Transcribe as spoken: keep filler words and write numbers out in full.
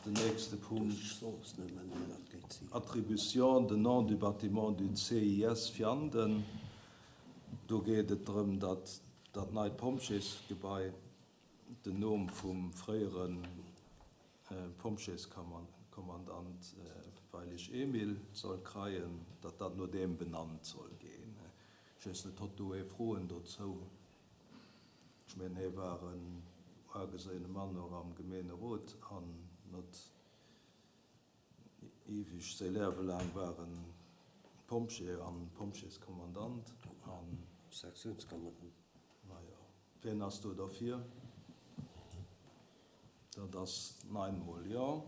Den nächste Punkt, Attribution de nom du bâtiment du C I S Vianden. Do geet et drëm, datt dat neit Pompjeesgebai den Numm vum fréiere Pompjeeskommandant Weilig Emil soll kreien, datt dat no deem benannt soll ginn. Ech weess net, hott do ee Froen dozou? Ech mengen, hie war en ugeséine Mann och am Gemeenerot an net eweg säi Liewe laang war en Pompjee an Pompjeeskommandant an Sektiounskommandant. Majo, wien ass do derfir? Dat ass nein mol jo.